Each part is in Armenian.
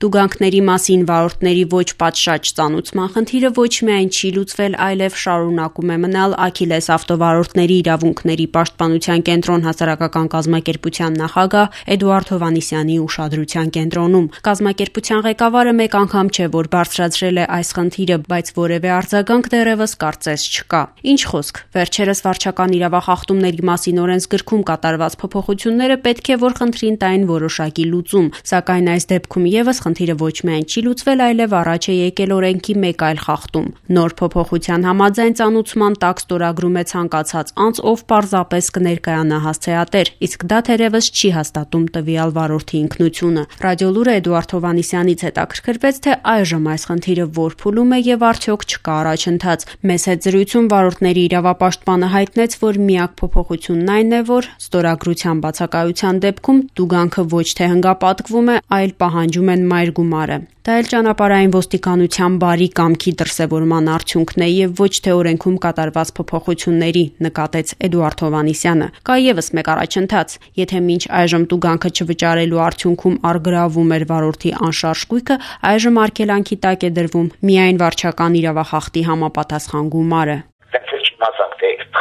Տուգանքների մասին վարորդների ոչ պատշաճ ծանուցման խնդիրը ոչ միայն չի լուծվել, այլև շարունակում է մնալ Աքիլես ավտովարորդների իրավունքների պաշտպանության կենտրոն հասարակական կազմակերպության նախագահ Էդուարդ Հովհաննիսյանի ուշադրության կենտրոնում։ Կազմակերպության ղեկավարը մեկ անգամ չէ, որ բարձրացրել է այս խնդիրը, բայց որևէ արձագանք դեռևս կարծես չկա։ Ինչ խոսք, վերջերս վարչական իրավախախտումների մասին օրենսգրքում կատարված փոփոխությունները պետք է որ խնդրին տային որոշակի լուծում, սակայն այս դեպքում եւս խնդիրը ոչ միայն չի լուծվել, այլև առաջ է եկել օրենքի մեկ այլ խախտում։ Նոր փոփոխության համաձայն ծանուցման տակ ստորագրում է ցանկացած անձ, ով պարզապես կներկայանա հասցեատեր, իսկ դա թերևս չի հաստատում տվյալ վարորդի ինքնությունը։ Ռադիոլուրը Էդուարդ Հովհաննիսյանից հետաքրքրվեց, թե այժմ այս խնդիրը որ փուլում է եւ արդյոք չկա առաջընթաց։ Մեծ հետ զրույցում վարորդների իրավապաշտպանը հայտնեց, որ միակ փոփոխությունն այն է, որ ստորագրության բացակայության դեպքում տուգանքը ոչ թե հնգապատկվում է, այլ պահանջում են մայր գումարը։ Դա էլ ճանապարհային ոստիկանության բարի կամքի դրսևորման արդյունքն է եւ ոչ թե օրենքում կատարված փոփոխությունների, նկատեց Էդուարդ Հովհաննիսյանը։ Կա եւս մեկ առաջընթաց։ Եթե մինչ այժմ տուգանքը չվճարելու արդյունքում առգրավում էր վարորդի անշարժ գույքը, այժմ արգելանքի տակ է դրվում միայն վարչական իրավախախտի համապատասխան գումարը։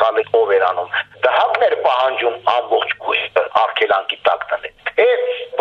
Խալի ով էր անում, դահակն էր պահանջում ամբողջ գույքը արգելանքի տակ դնել, թե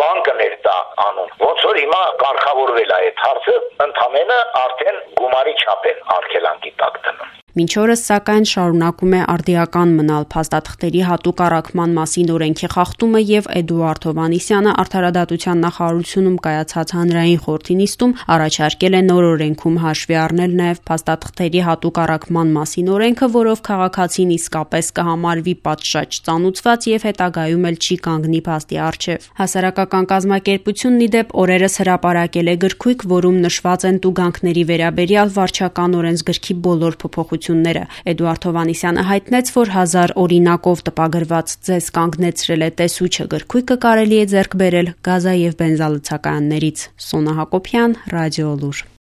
բանկն էր դա անում, ոնց որ հիմա կարգավորվել է այդ հարցը, ընդամենը արդեն գումարի չափ են արգելանքի տակ դնում։ Մինչ օրս, սակայն, շարունակում է արդիական մնալ փաստաթղթերի հատուկ առաքման մասին օրենքի խախտումը եւ Էդուարդ Հովհաննիսյանը արդարադատության նախարարությունում կայացած հանրային խորհրդի նիստում առաջարկել է նոր օրենքում հաշվի առնել նաեւ փաստաթղթերի հատուկ առաքման մասին օրենքը, որով քաղաքացին իսկապես կհամարվի պատշաճ ծանուցված եւ հետագայում էլ չի կանգնի փաստի առջեւ։ Հասարակական կազմակերպությունն ի դեպ օրերս հրապարակել է գրքույկ, որում նշված են տուգանքների վերաբերյալ վարչական օրենսգրքի բոլոր փոփոխությունները։ Էդուարդ Հովհաննիսյանը հայտնեց, որ 1000 օրինակով տպագրված ձեզ կանգնեցրել է տեսուչը գրքույկը կարելի է ձեռք բերել գազա եւ բենզալցակայաններից։ Սոնա Հակոբյան, Ռադիոլուր։